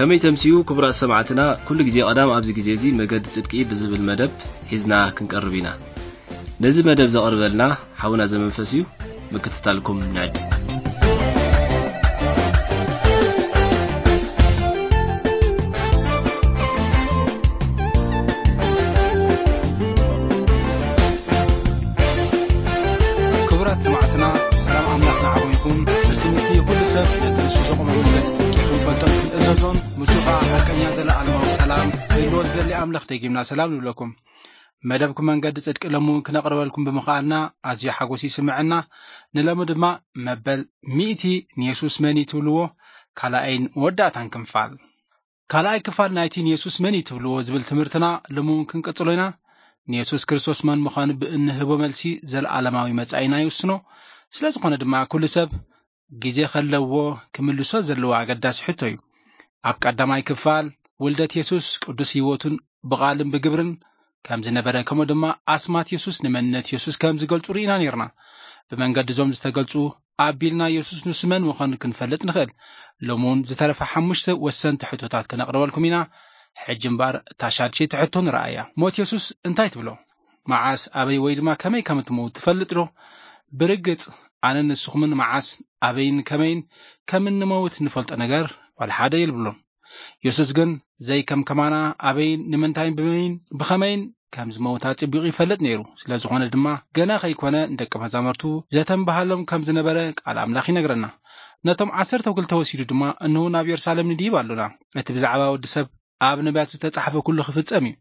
ከመይ ተምስዩ ክቡራት ሰማዕትና፣ ኩሉ ግዜ ቀዳም ኣብዚ ግዜ እዚ መገዲ ጽድቂ ብዝብል መደብ ሒዝና ክንቀርብ ኢና። ነዚ መደብ ዘቕርበልና ሓውና ዘመንፈስ እዩ። ምክትታልኩም ንዕድም። ክቡራት ሰማዕትና፣ ሰላም ኣምላኽ ንዓኹም ይኹን። ምስ ትምህርቲ ኩሉ ሰብ ነቲ ንሱ ዘቑሞ መንገዲ ጽድቂ ክንፈልጦን ክንእዘዞን፣ ምስኡ ኸኣ ሓቀኛ ዘለኣለማዊ ሰላም ክህልዎ ዝደሊ ኣምላኽ ደጊምና ሰላም ንብለኩም። መደብኩም መንገዲ ጽድቂ ሎሚ እውን ክነቕርበልኩም ብምኽኣልና ኣዝዩ ሓጎስ ይስምዐና። ንሎሚ ድማ መበል ሚእቲ ንየሱስ መን እዩ ትብልዎ ካልኣይን መወዳእታን ክንፋል። ካልኣይ ክፋል ናይቲ ንየሱስ መን እዩ ትብልዎ ዝብል ትምህርትና ሎሚ እውን ክንቅጽሎ ኢና። ንየሱስ ክርስቶስ መን ምዃኑ ብእንህቦ መልሲ ዘለኣለማዊ መጻኢና ይውስኖ። ስለ ዝኾነ ድማ ኩሉ ሰብ ግዜ ከለዎ ክምልሶ ዘለዎ ኣገዳሲ ሕቶ እዩ። ኣብ ቀዳማይ ክፋል ውልደት የሱስ ቅዱስ ህይወቱን ብቓልን ብግብርን ከም ዝነበረ፣ ከምኡ ድማ ኣስማት የሱስ ንመንነት የሱስ ከም ዝገልጹ ርኢና ነይርና። ብመንገዲ እዞም ዝተገልጹ ኣቢልና የሱስ ንሱ መን ምዃኑ ክንፈልጥ ንኽእል። ሎሚ እውን ዝተረፈ ሓሙሽተ ወሰንቲ ሕቶታት ክነቕርበልኩም ኢና። ሕጂ እምበኣር እታ ሻድሸይቲ ሕቶ ንረኣያ። ሞት የሱስ እንታይ ትብሎ? መዓስ፣ ኣበይ ወይ ድማ ከመይ ከም እትመውት ትፈልጥ ዶ? ብርግጽ ኣነን ንስኹምን መዓስ፣ ኣበይን ከመይን ከም እንመውት እንፈልጦ ነገር ዋላ ሓደ የልብሎን። የሱስ ግን ዘይከም ከማና ኣበይን ንምንታይን ብመይን ብኸመይን ከም ዝመውት ኣጸቢቑ ይፈልጥ ነይሩ። ስለ ዝኾነ ድማ ገና ከይኮነ ንደቂ መዛሙርቱ ዘተንብሃሎም ከም ዝነበረ ቃል ኣምላኽ ይነግረና። ነቶም ዓሰርተ ክልተ ወሲዱ ድማ፣ "እንሆ ናብ የሩሳሌም ንድይብ ኣሎና። እቲ ብዛዕባ ወዲ ሰብ ኣብ ነቢያት ዝተጻሕፈ ኩሉ ክፍጸም እዩ።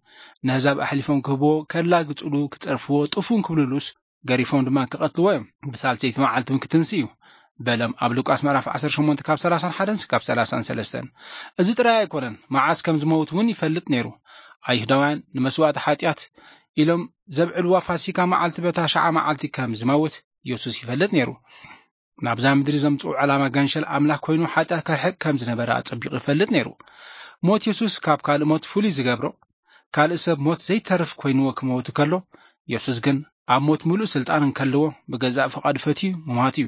ነህዛብ ኣሕሊፎም ክህብዎ፣ ከላግጽሉ፣ ክጸርፍዎ፣ ጥፉን ክብልሉስ፣ ገሪፎም ድማ ክቐትልዎ እዮም። ብሳልሰይቲ መዓልቲ እውን ክትንስ እዩ" በሎም። ኣብ ሉቃስ ምዕራፍ ዓሰርተ ሸሞንተ ካብ ሰላሳን ሓደን ካብ ሰላሳን ሰለስተን። እዚ ጥራይ ኣይኮነን፣ መዓስ ከም ዝመውት እውን ይፈልጥ ነይሩ። ኣይሁዳውያን ንመስዋእቲ ሓጢኣት ኢሎም ዘብዕልዋ ፋሲካ መዓልቲ በታ ሸዓ መዓልቲ ከም ዝመውት የሱስ ይፈልጥ ነይሩ። ናብዛ ምድሪ ዘምጽኡ ዕላማ ገንሸል ኣምላኽ ኮይኑ ሓጢኣት ከርሕቕ ከም ዝነበረ ኣጸቢቑ ይፈልጥ ነይሩ። ሞት የሱስ ካብ ካልእ ሞት ፍሉይ ዝገብሮ፣ ካልእ ሰብ ሞት ዘይተርፍ ኮይንዎ ክመውት ከሎ፣ የሱስ ግን ኣብ ሞት ምሉእ ስልጣን እንከለዎ ብገዛእ ፍቓዱ ፈትዩ ምሟት እዩ።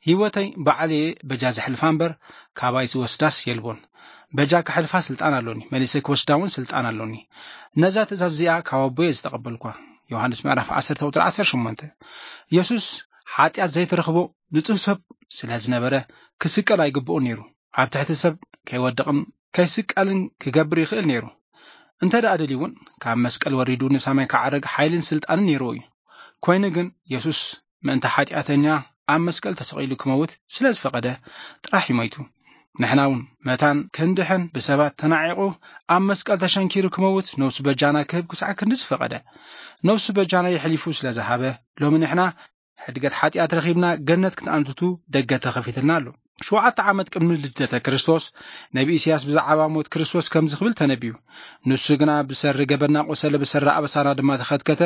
"ህይወተይ ባዕለየ በጃ ዘሕልፋ እምበር፣ ካባይ ዝወስዳስ የልቦን። በጃ ክሕልፋ ስልጣን ኣሎኒ፣ መሊሰ ክወስዳ እውን ስልጣን ኣሎኒ። ነዛ ትእዛዝ እዚኣ ካብ ኣቦየ ዝተቐበልኳ" ዮሃንስ ምዕራፍ ዓሰርተ ቁጽሪ ዓሰርተ ሸሞንተ። የሱስ ሓጢኣት ዘይተረኽቦ ንጹህ ሰብ ስለ ዝነበረ፣ ክስቀል ኣይግብኦን ነይሩ። ኣብ ትሕቲ ሰብ ከይወድቕን ከይስቀልን ክገብር ይኽእል ነይሩ። እንተ ደኣ ደልዩ እውን፣ ካብ መስቀል ወሪዱ ንሰማይ ክዓርግ ሓይልን ስልጣንን ነይርዎ እዩ። ኮይኑ ግን፣ የሱስ ምእንቲ ሓጢኣተኛ ኣብ መስቀል ተሰቒሉ ክመውት ስለ ዝፈቐደ ጥራሕ እዩ ሞይቱ። ንሕና እውን መታን ክንድሕን ብሰባት ተናዒቑ ኣብ መስቀል ተሸንኪሩ ክመውት ነፍሱ በጃና ክህብ ክሳዕ ክንዲ ዝፈቐደ፣ ነፍሱ በጃና የሕሊፉ ስለ ዝሃበ፣ ሎሚ ንሕና ሕድገት ሓጢኣት ረኺብና ገነት ክትኣንትቱ ደገ ተኸፊትልና ኣሎ። ሸውዓተ ዓመት ቅድሚ ልደተ ክርስቶስ፣ ነቢ ኢሳያስ ብዛዕባ ሞት ክርስቶስ ከምዚ ክብል ተነብዩ፣ "ንሱ ግና ብሰሪ ገበና ቆሰለ፣ ብሰሪ ኣበሳና ድማ ተኸትከተ።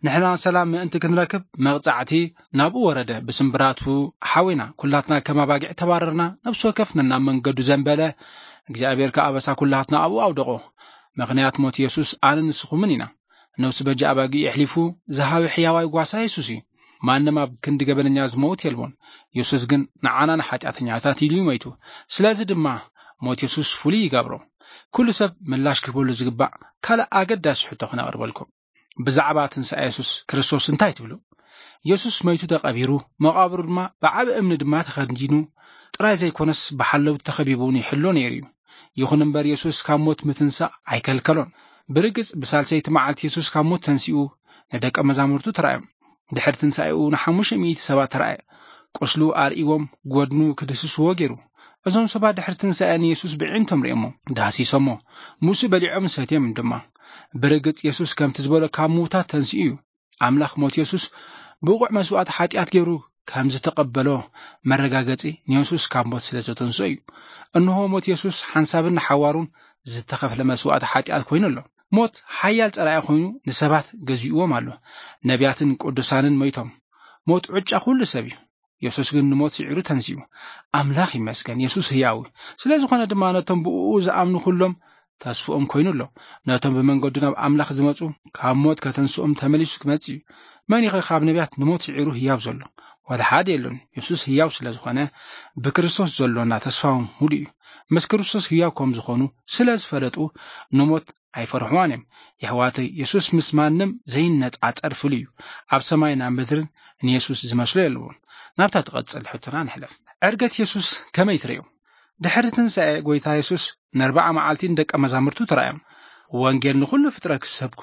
ንሕና ሰላም ምእንቲ ክንረክብ መቕጻዕቲ ናብኡ ወረደ። ብስምብራቱ ሓዌና፣ ኩላትና ከም ኣባጊዕ ተባረርና፣ ነፍሲ ወከፍ ነናብ መንገዱ ዘንበለ። እግዚኣብሔር ከኣ ኣበሳ ኩላትና ኣብኡ ኣውደቖ። ምኽንያት ሞት የሱስ ኣነ ንስኹምን ኢና። ነፍሱ በጃ ኣባጊዕ የሕሊፉ ዝሃበ ሕያዋይ ጓሳ የሱስ እዩ። ማንም ኣብ ክንዲ ገበነኛ ዝመውት የልቦን። የሱስ ግን ንዓና ንሓጢኣተኛታት ኢሉ እዩ ሞይቱ። ስለዚ ድማ ሞት የሱስ ፍሉይ ይገብሮ። ኩሉ ሰብ ምላሽ ክህበሉ ዝግባእ ካልእ ኣገዳሲ ሕቶ ክነቕርበልኩም። ብዛዕባ ትንሳኤ የሱስ ክርስቶስ እንታይ ትብሉ? የሱስ መይቱ ተቐቢሩ፣ መቓብሩ ድማ ብዓቢ እምኒ ድማ ተኸዲኑ ጥራይ ዘይኮነስ ብሓለውቲ ተኸቢቡ እውን ይሕሎ ነይሩ እዩ። ይኹን እምበር የሱስ ካብ ሞት ምትንሳእ ኣይከልከሎን። ብርግጽ ብሳልሰይቲ መዓልቲ የሱስ ካብ ሞት ተንሲኡ ንደቀ መዛሙርቱ ተራእዮም። ድሕሪ ትንሳኤኡ ንሓሙሽተ ሚእቲ ሰባት ተራእየ። ቁስሉ ኣርእይዎም፣ ጎድኑ ክድህስስዎ ገይሩ። እዞም ሰባት ድሕሪ ትንሳኤ ንየሱስ ብዕንቶም ርእዮሞ፣ ዳህሲሶሞ፣ ምስኡ በሊዖም ሰትዮም ድማ። ብርግጽ የሱስ ከምቲ ዝበሎ ካብ ምዉታት ተንሲኡ እዩ። ኣምላኽ ሞት የሱስ ብቑዕ መስዋእቲ ሓጢኣት ገይሩ ከም ዝተቐበሎ መረጋገጺ ንየሱስ ካብ ሞት ስለ ዘተንስኦ እዩ። እንሆ ሞት የሱስ ሓንሳብን ንሓዋሩን ዝተኸፍለ መስዋእቲ ሓጢኣት ኮይኑ ኣሎ። ሞት ሓያል ጸላኢ ኮይኑ ንሰባት ገዚእዎም ኣሎ። ነቢያትን ቅዱሳንን ሞይቶም። ሞት ዕጫ ኩሉ ሰብ እዩ። የሱስ ግን ንሞት ስዒሩ ተንሲኡ። ኣምላኽ ይመስገን፣ የሱስ ህያው እዩ። ስለ ዝኾነ ድማ ነቶም ብእኡ ዝኣምኑ ኩሎም ተስፍኦም ኮይኑ ኣሎ። ነቶም ብመንገዱ ናብ ኣምላኽ ዝመጹ ካብ ሞት ከተንስኦም ተመሊሱ ክመጽእ እዩ። መን እዩ ኸ ካብ ነቢያት ንሞት ስዒሩ ህያው ዘሎ? ዋላ ሓደ የሎን። የሱስ ህያው ስለ ዝኾነ ብክርስቶስ ዘሎና ተስፋ እውን ሙሉእ እዩ። ምስ ክርስቶስ ህያው ከም ዝኾኑ ስለ ዝፈለጡ ንሞት ኣይፈርሕዋን እዮም። የሕዋተይ፣ የሱስ ምስ ማንም ዘይነጻጸር ፍሉይ እዩ። ኣብ ሰማይ ናብ ምድርን ንየሱስ ዝመስሎ የለዎን። ናብታ ትቐጽል ሕቶና ንሕለፍ። ዕርገት የሱስ ከመይ ትርእዮ? ድሕሪ ትንሳኤ ጎይታ የሱስ ንኣርብዓ መዓልቲ ንደቀ መዛሙርቱ ተራእዮም። ወንጌል ንኹሉ ፍጥረት ክሰብኩ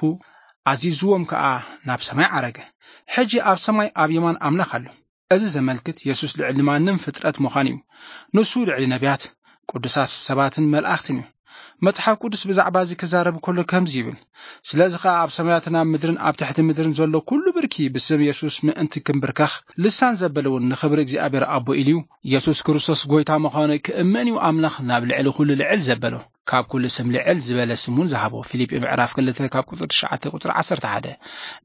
ኣዚዝዎም ከኣ ናብ ሰማይ ዓረገ። ሕጂ ኣብ ሰማይ ኣብ የማን ኣምላኽ ኣሎ። እዚ ዘመልክት የሱስ ልዕሊ ማንም ፍጥረት ምዃን እዩ። ንሱ ልዕሊ ነቢያት፣ ቅዱሳት ሰባትን መላእኽትን እዩ። መጽሓፍ ቅዱስ ብዛዕባ እዚ ክዛረብ ከሎ ከምዚ ይብል፣ ስለዚ ኸኣ ኣብ ሰማያትን ኣብ ምድርን ኣብ ትሕቲ ምድርን ዘሎ ኩሉ ብርኪ ብስም የሱስ ምእንቲ ክምብርከኽ፣ ልሳን ዘበለ እውን ንኽብሪ እግዚኣብሔር ኣቦ ኢሉ እዩ። የሱስ ክርስቶስ ጎይታ ምዃኑ ክእመን እዩ ኣምላኽ ናብ ልዕሊ ኩሉ ልዕል ዘበሎ። ካብ ኩሉ ስም ልዕል ዝበለ ስም እውን ዝሃቦ። ፊልጲ ምዕራፍ ክልተ ካብ ቁጽሪ ትሽዓተ ቁጽሪ ዓሰርተ ሓደ።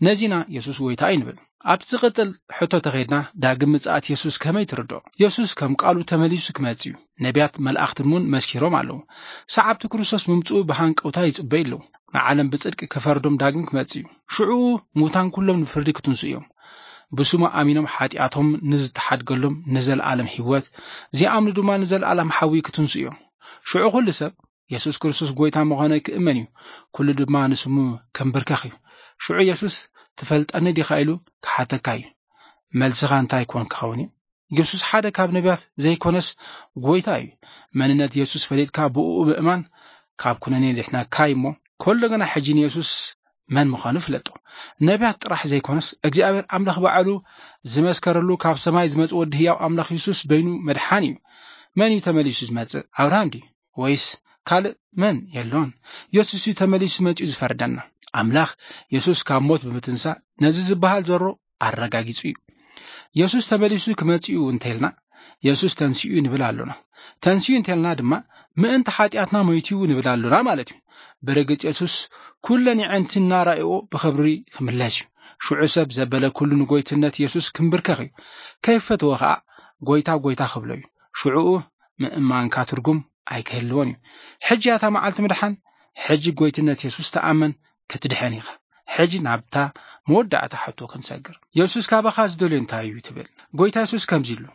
ነዚና የሱስ ጎይታ እዩ ንብል። ኣብቲ ዝቕጽል ሕቶ ተኸይድና፣ ዳግም ምጽኣት የሱስ ከመይ ትርድኦ? የሱስ ከም ቃሉ ተመሊሱ ክመጽእ እዩ። ነቢያት መላእኽትን እውን መስኪሮም ኣለዉ። ሰዓብቲ ክርስቶስ ምምጽኡ ብሃንቀውታ ይጽበዩ ኣለዉ። ንዓለም ብጽድቂ ክፈርዶም ዳግም ክመጽእ እዩ። ሽዑኡ ሙታን ኩሎም ንፍርዲ ክትንስኡ እዮም። ብስሙ ኣሚኖም ሓጢኣቶም ንዝተሓድገሎም ንዘለኣለም ህይወት፣ ዘይኣምኑ ድማ ንዘለኣለም ሓዊ ክትንስኡ እዮም። ሽዑ ኩሉ ሰብ የሱስ ክርስቶስ ጎይታ ምዃኑ ክእመን እዩ። ኩሉ ድማ ንስሙ ከንብርከኽ እዩ። ሽዑ የሱስ ትፈልጠኒ ዲኻ ኢሉ ክሓተካ እዩ። መልስኻ እንታይ ኮን ክኸውን እዩ? የሱስ ሓደ ካብ ነቢያት ዘይኮነስ ጎይታ እዩ። መንነት የሱስ ፈሊጥካ ብእኡ ምእማን ካብ ኩነኔ ድሕነካ እዩ እሞ፣ ከሎ ግና ሕጂ ንየሱስ መን ምዃኑ ፍለጦ። ነቢያት ጥራሕ ዘይኮነስ እግዚኣብሔር ኣምላኽ ባዕሉ ዝመስከረሉ ካብ ሰማይ ዝመጽእ ወዲ ህያው ኣምላኽ የሱስ በይኑ መድሓን እዩ። መን እዩ ተመሊሱ ዝመጽእ? ኣብርሃም ድዩ? ወይስ ካልእ መን? የሎን። የሱስ እዩ ተመሊሱ መጺኡ ዝፈርደና። ኣምላኽ የሱስ ካብ ሞት ብምትንሳእ ነዚ ዝበሃል ዘሮ ኣረጋጊጹ እዩ። የሱስ ተመሊሱ ክመጽእ እዩ እንተልና፣ የሱስ ተንሲኡ ንብል ኣሎና። ተንሲኡ እንተልና ድማ ምእንቲ ሓጢኣትና ሞይቱ እዩ ንብል ኣሎና ማለት እዩ። ብርግጽ የሱስ ኩለን የዕንቲ እናረኣይዎ ብኽብሪ ክምለስ እዩ። ሽዑ ሰብ ዘበለ ኩሉ ንጎይትነት የሱስ ክምብርከኽ እዩ። ከይፈተወ ኸኣ ጎይታ ጎይታ ክብሎ እዩ። ሽዑኡ ምእማንካ ትርጉም ኣይክህልዎን እዩ። ሕጂ እያ እታ መዓልቲ ምድሓን። ሕጂ ጎይትነት የሱስ ተኣመን ክትድሐን ኢኻ። ሕጂ ናብታ መወዳእታ ሕቶ ክንሰግር። የሱስ ካባኻ ዝደልዮ እንታይ እዩ ትብል? ጎይታ የሱስ ከምዚ ኢሉ፣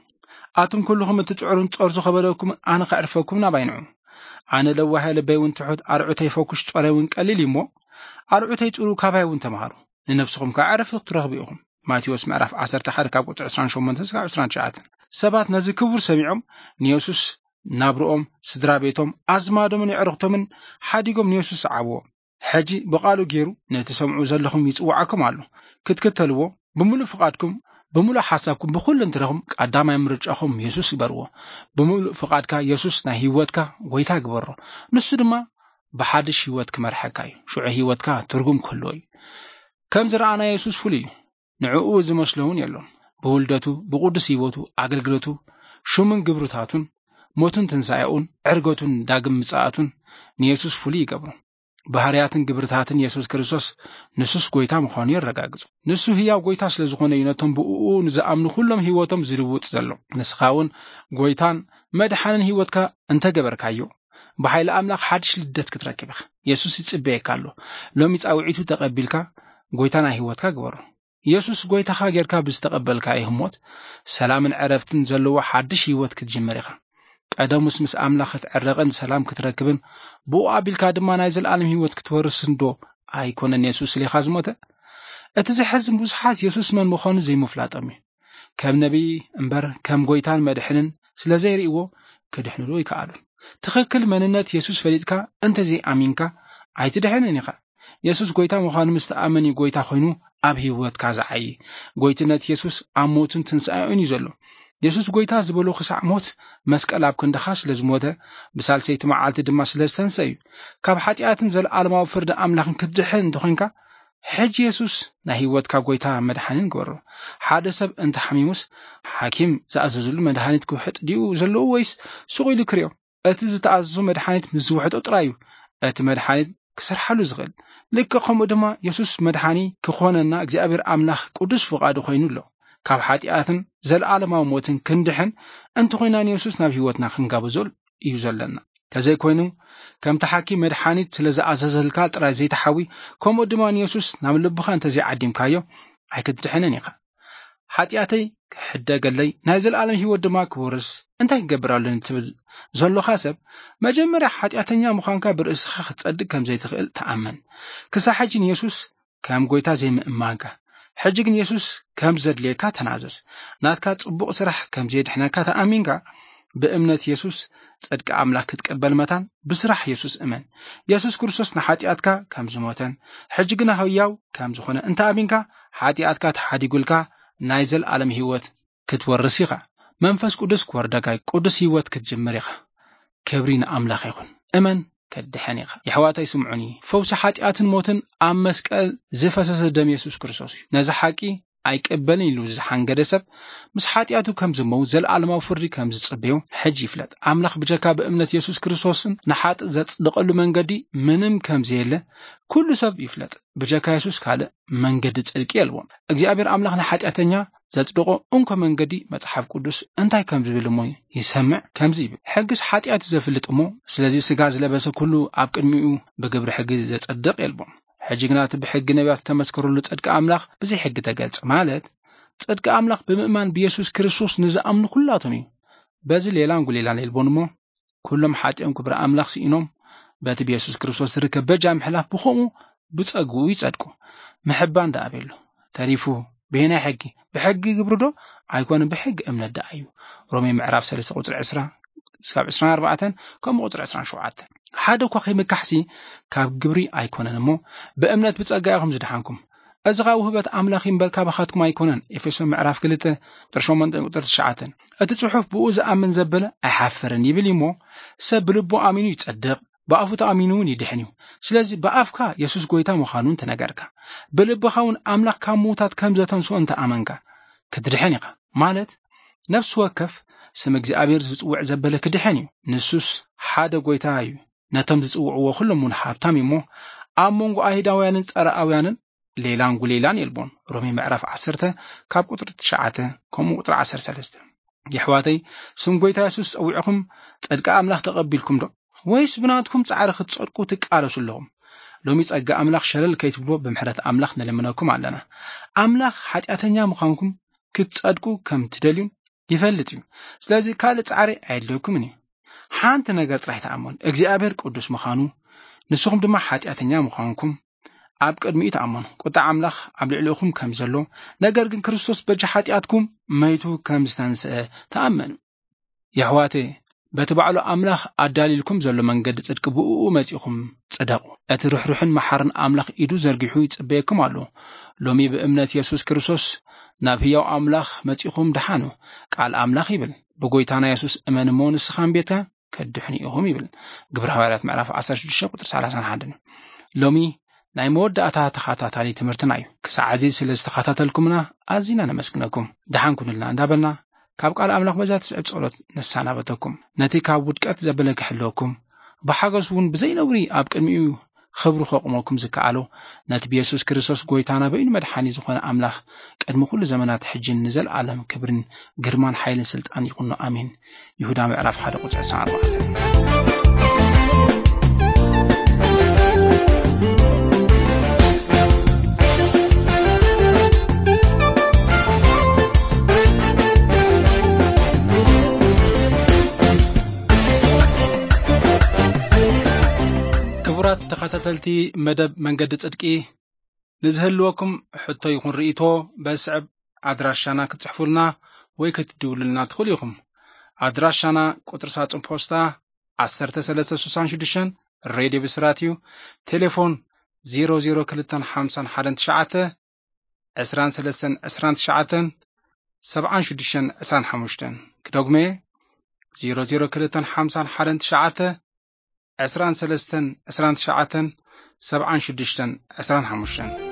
ኣቱም ኩልኹም እትጽዕሩን ጸርዙ ከበደኩም ኣነ ከዕርፈኩም ናባይ ንዑ። ኣነ ለዋህ ልበይ እውን ትሑት ኣርዑተይ ፈኩሽ ጾረይ እውን ቀሊል እዩ እሞ ኣርዑተይ ጽሩ ካባይ እውን ተምሃሩ። ንነብስኹም ከኣ ዕረፍቲ ክትረኽቡ ኢኹም። ማቴዎስ ምዕራፍ ዓሰርተ ሓደ ካብ ቁጽሪ ዕስራን ሸሞንተን እስካብ ዕስራን ትሽዓተን። ሰባት ነዚ ክቡር ሰሚዖም ንየሱስ ናብርኦም፣ ስድራ ቤቶም፣ ኣዝማዶምን የዕርኽቶምን ሓዲጎም ንየሱስ ሰዓብዎ። ሕጂ ብቓሉ ገይሩ ነቲ ሰምዑ ዘለኹም ይጽውዓኩም ኣሎ። ክትክተልዎ ብምሉእ ፍቓድኩም፣ ብምሉእ ሓሳብኩም፣ ብኹሉ እንትረኹም ቀዳማይ ምርጫኹም የሱስ ግበርዎ። ብምሉእ ፍቓድካ የሱስ ናይ ህይወትካ ጎይታ ግበሮ። ንሱ ድማ ብሓድሽ ህይወት ክመርሐካ እዩ። ሽዑ ህይወትካ ትርጉም ክህልዎ እዩ። ከም ዝረኣና የሱስ ፍሉይ እዩ። ንዕኡ ዝመስሎ እውን የሎን። ብውልደቱ፣ ብቕዱስ ህይወቱ፣ ኣገልግሎቱ፣ ሽሙን ግብርታቱን፣ ሞቱን ትንሳኤኡን፣ ዕርገቱን ዳግም ምጽኣቱን ንየሱስ ፍሉይ ይገብሮ። ባህርያትን ግብርታትን የሱስ ክርስቶስ ንሱስ ጎይታ ምዃኑ የረጋግጹ። ንሱ ህያው ጎይታ ስለ ዝኾነ እዩ ነቶም ብእኡ ንዝኣምኑ ኩሎም ህይወቶም ዝልውጥ ዘሎ። ንስኻ እውን ጎይታን መድሓንን ህይወትካ እንተገበርካዮ፣ ብሓይሊ ኣምላኽ ሓድሽ ልደት ክትረክብ ኢኻ። የሱስ ይጽበየካ ኣሎ። ሎሚ ጻውዒቱ ተቐቢልካ ጎይታ ናይ ህይወትካ ግበሮ። የሱስ ጎይታኻ ጌርካ ብዝተቐበልካዮ ህሞት፣ ሰላምን ዕረፍትን ዘለዎ ሓድሽ ህይወት ክትጅምር ኢኻ። ቀደሙስ ምስ ኣምላኽ ክትዕረቕን ሰላም ክትረክብን፣ ብኡ ኣቢልካ ድማ ናይ ዘለኣለም ህይወት ክትወርስን ዶ ኣይኮነን የሱስ ስሌኻ ዝሞተ? እቲ ዘሕዝን ብዙሓት የሱስ መን ምዃኑ ዘይምፍላጦም እዩ። ከም ነቢይ እምበር ከም ጎይታን መድሕንን ስለ ዘይርእይዎ ክድሕንሉ ኣይከኣሉን። ትኽክል መንነት የሱስ ፈሊጥካ እንተዘይኣሚንካ ኣይትድሕንን ኢኻ። የሱስ ጎይታ ምዃኑ ምስ ተኣመን እዩ ጎይታ ኮይኑ ኣብ ህይወትካ ዝዓዪ። ጎይትነት የሱስ ኣብ ሞቱን ትንሳኤኡን እዩ ዘሎ። የሱስ ጎይታ ዝበሎ ክሳዕ ሞት መስቀል ኣብ ክንድኻ ስለ ዝሞተ፣ ብሳልሰይቲ መዓልቲ ድማ ስለ ዝተንስአ እዩ። ካብ ሓጢኣትን ዘለኣለማዊ ፍርዲ ኣምላኽን ክትድሕን እንተኾይንካ፣ ሕጂ የሱስ ናይ ህይወትካ ጎይታ መድሓኒን ግበሮ። ሓደ ሰብ እንተሓሚሙስ፣ ሓኪም ዝኣዘዘሉ መድሃኒት ክውሕጥ ድዩ ዘለዎ ወይስ ሱቕ ኢሉ ክርእዮ? እቲ ዝተኣዘዞ መድሓኒት ምስ ዝውሕጦ ጥራይ እዩ እቲ መድሓኒት ክሰርሓሉ ዝኽእል። ልክዕ ከምኡ ድማ የሱስ መድሓኒ ክኾነና እግዚኣብሔር ኣምላኽ ቅዱስ ፍቓዱ ኮይኑ ኣሎ። ካብ ሓጢኣትን ዘለኣለማዊ ሞትን ክንድሕን እንተኾይና ንየሱስ ናብ ህይወትና ክንጋብዞ እዩ ዘለና። ተዘይኮይኑ ከምቲ ሓኪም መድሓኒት ስለ ዝኣዘዘልካ ጥራይ ዘይትሓዊ፣ ከምኡ ድማ ንየሱስ ናብ ልብኻ እንተዘይዓዲምካዮ ኣይክትድሕንን ኢኻ። ሓጢኣተይ ክሕደገለይ ናይ ዘለኣለም ህይወት ድማ ክወርስ እንታይ ክገብር ኣለኒ ትብል ዘሎኻ ሰብ፣ መጀመርያ ሓጢኣተኛ ምዃንካ ብርእስኻ ክትጸድቅ ከም ዘይትኽእል ተኣመን። ክሳብ ሕጂ ንየሱስ ከም ጎይታ ዘይምእማንካ፣ ሕጂ ግን የሱስ ከም ዘድልየካ ተናዘዝ። ናትካ ጽቡቕ ስራሕ ከም ዘየድሕነካ ተኣሚንካ፣ ብእምነት የሱስ ጽድቂ ኣምላኽ ክትቅበል መታን ብስራሕ የሱስ እመን። የሱስ ክርስቶስ ንሓጢኣትካ ከም ዝሞተን ሕጂ ግና ህያው ከም ዝኾነ እንተ ኣሚንካ፣ ሓጢኣትካ ተሓዲጉልካ ናይ ዘልኣለም ህይወት ክትወርስ ኢኻ። መንፈስ ቅዱስ ክወርደካ እዩ። ቅዱስ ህይወት ክትጅምር ኢኻ። ክብሪ ንኣምላኽ ይኹን። እመን ከድሕን ኢኻ። የሕዋተይ ስምዑኒ። ፈውሲ ሓጢኣትን ሞትን ኣብ መስቀል ዝፈሰሰ ደም የሱስ ክርስቶስ እዩ። ነዚ ሓቂ ኣይቅበልን ኢሉ ዝሓንገደ ሰብ ምስ ሓጢኣቱ ከም ዝመው፣ ዘለኣለማዊ ፍርዲ ከም ዝጽበዮ ሕጂ ይፍለጥ። ኣምላኽ ብጀካ ብእምነት የሱስ ክርስቶስን ንሓጥእ ዘጽድቐሉ መንገዲ ምንም ከም ዘየለ ኩሉ ሰብ ይፍለጥ። ብጀካ የሱስ ካልእ መንገዲ ጽድቂ የልቦን። እግዚኣብሔር ኣምላኽ ንሓጢኣተኛ ዘጽድቆ እንኮ መንገዲ መጽሓፍ ቅዱስ እንታይ ከም ዝብል እሞ ይሰምዕ። ከምዚ ይብል፣ ሕግስ ሓጢኣት እዩ ዘፍልጥ እሞ፣ ስለዚ ስጋ ዝለበሰ ኩሉ ኣብ ቅድሚኡ ብግብሪ ሕጊ ዘጸድቕ የልቦን። ሕጂ ግና እቲ ብሕጊ ነቢያት ዝተመስከረሉ ጽድቂ ኣምላኽ ብዘይ ሕጊ ተገልጸ፣ ማለት ጽድቂ ኣምላኽ ብምእማን ብየሱስ ክርስቶስ ንዝኣምኑ ኩላቶም እዩ። በዚ ሌላን ጉሌላን የልቦን እሞ፣ ኩሎም ሓጢኦም ክብሪ ኣምላኽ ስኢኖም፣ በቲ ብየሱስ ክርስቶስ ዝርከብ በጃ ምሕላፍ ብኸምኡ ብጸግኡ ይጸድቁ። ምሕባን ደኣ ኣበሎ ተሪፉ፣ ብሄናይ ሕጊ? ብሕጊ ግብሪ ዶ? ኣይኮነን፣ ብሕጊ እምነት ደኣ እዩ። ሮሜ ምዕራፍ ሰለስተ ቁጽሪ ዕስራ እስካብ ዕስራን ኣርባዕተን፣ ከምኡ ቁጽሪ ዕስራን ሸውዓተን። ሓደ እኳ ከይምካሕሲ ካብ ግብሪ ኣይኮነን እሞ፣ ብእምነት ብጸጋ ኢኹም ዝደሓንኩም። እዚ ኸኣ ውህበት ኣምላኽ እዩ እምበር፣ ካባኻትኩም ኣይኮነን። ኤፌሶን ምዕራፍ ክልተ ቁጽሪ ሸሞንተ ቁጽሪ ትሽዓተን። እቲ ጽሑፍ፣ "ብኡ ዝኣምን ዘበለ ኣይሓፍርን" ይብል እዩ እሞ፣ ሰብ ብልቡ ኣሚኑ ይጸድቕ፣ ብኣፉ ተኣሚኑ እውን ይድሕን እዩ። ስለዚ ብኣፍካ የሱስ ጎይታ ምዃኑ እንተነገርካ፣ ብልብኻ እውን ኣምላኽ ካብ ምዉታት ከም ዘተንስኦ እንተኣመንካ፣ ክትድሕን ኢኻ። ማለት ነፍሲ ወከፍ ስም እግዚኣብሔር ዝጽውዕ ዘበለ ክድሕን እዩ። ንሱስ ሓደ ጎይታ እዩ። ነቶም ዝጽውዕዎ ኩሎም እውን ሃብታም እዩ እሞ፣ ኣብ መንጎ ኣይሁዳውያንን ጸረኣውያንን ሌላን ጉሌላን የልቦን። ሮሜ ምዕራፍ ዓሰርተ ካብ ቁጽሪ ትሽዓተ ከምኡ ቁጽሪ ዓሰርተ ሰለስተ። የሕዋተይ፣ ስም ጎይታ የሱስ ጸዊዕኹም ጽድቂ ኣምላኽ ተቐቢልኩም ዶ? ወይስ ብናትኩም ጻዕሪ ክትጸድቁ ትቃለሱ ኣለኹም? ሎሚ ጸጋ ኣምላኽ ሸለል ከይትብልዎ ብምሕረት ኣምላኽ ንልምነኩም ኣለና። ኣምላኽ ሓጢኣተኛ ምዃንኩም ክትጸድቁ ከም ትደልዩን ይፈልጥ እዩ። ስለዚ ካልእ ጻዕሪ ኣየድልየኩምን እዩ። ሓንቲ ነገር ጥራይ ተኣመኑ፣ እግዚኣብሔር ቅዱስ ምዃኑ፣ ንስኹም ድማ ሓጢኣተኛ ምዃንኩም ኣብ ቅድሚኡ ተኣመኑ። ቁጣ ኣምላኽ ኣብ ልዕሊኹም ከም ዘሎ፣ ነገር ግን ክርስቶስ በጃ ሓጢኣትኩም መይቱ ከም ዝተንስአ ተኣመኑ። የሕዋተይ፣ በቲ ባዕሉ ኣምላኽ ኣዳልይልኩም ዘሎ መንገዲ ጽድቂ ብእኡ መጺኹም ጽደቑ። እቲ ርሕሩሕን መሓርን ኣምላኽ ኢዱ ዘርጊሑ ይጽበየኩም ኣሎ። ሎሚ ብእምነት የሱስ ክርስቶስ ናብ ህያው ኣምላኽ መጺኹም ደሓኑ። ቃል ኣምላኽ ይብል፣ "ብጎይታና የሱስ እመን እሞ ንስኻን ቤትካ ከድሕኑ ኢኹም" ይብል። ግብረ ሃዋርያት ምዕራፍ ዓሰርተ ሽዱሽተ ቁጽሪ ሰላሳን ሓደን። ሎሚ ናይ መወዳእታ ተኸታታሊ ትምህርትና እዩ። ክሳዕ እዚ ስለ ዝተኸታተልኩምና ኣዚና ነመስግነኩም። ደሓን ኩኑልና እንዳበልና፣ ካብ ቃል ኣምላኽ በዛ ትስዕብ ጸሎት ነሰናበተኩም። ነቲ ካብ ውድቀት ዘበለ ክሕልወኩም፣ ብሓገዝ እውን ብዘይ ነውሪ ኣብ ቅድሚኡ ክብሩ ከቑመኩም ዝከኣሎ፣ ነቲ ብየሱስ ክርስቶስ ጎይታና በይኑ መድሓኒ ዝኾነ ኣምላኽ፣ ቅድሚ ኩሉ ዘመናት ሕጅን ንዘለኣለም ክብርን ግርማን ሓይልን ስልጣን ይኹኖ። ኣሜን። ይሁዳ ምዕራፍ ሓደ ቁጽሪ ዕስራን ኣርባዕተን። ክቡራት ተኸታተልቲ መደብ መንገዲ ጽድቂ፣ ንዝህልወኩም ሕቶ ይኹን ርእይቶ በስዕብ ኣድራሻና ክትጽሕፉልና ወይ ክትድውሉልና ትኽእሉ ኢኹም። ኣድራሻና ቁጽሪ ሳጹን ፖስታ ዓሰርተ ሰለስተ ስሳን ሽዱሽተን፣ ሬድዮ ብስራት እዩ። ቴሌፎን ዜሮ ዜሮ ክልተን ሓምሳን ሓደን ትሽዓተ፣ ዕስራን ሰለስተን ዕስራን ትሽዓተን፣ ሰብዓን ሽዱሽተን ዕስራን ሓሙሽተን። ክደግሞ እየ፣ ዜሮ ዜሮ ክልተን ሓምሳን ሓደን ትሽዓተ፣ ዕስራን ሰለስተን ዕስራን ትሽዓተን፣ ሰብዓን ሽዱሽተን ዕስራን ሓሙሽተን።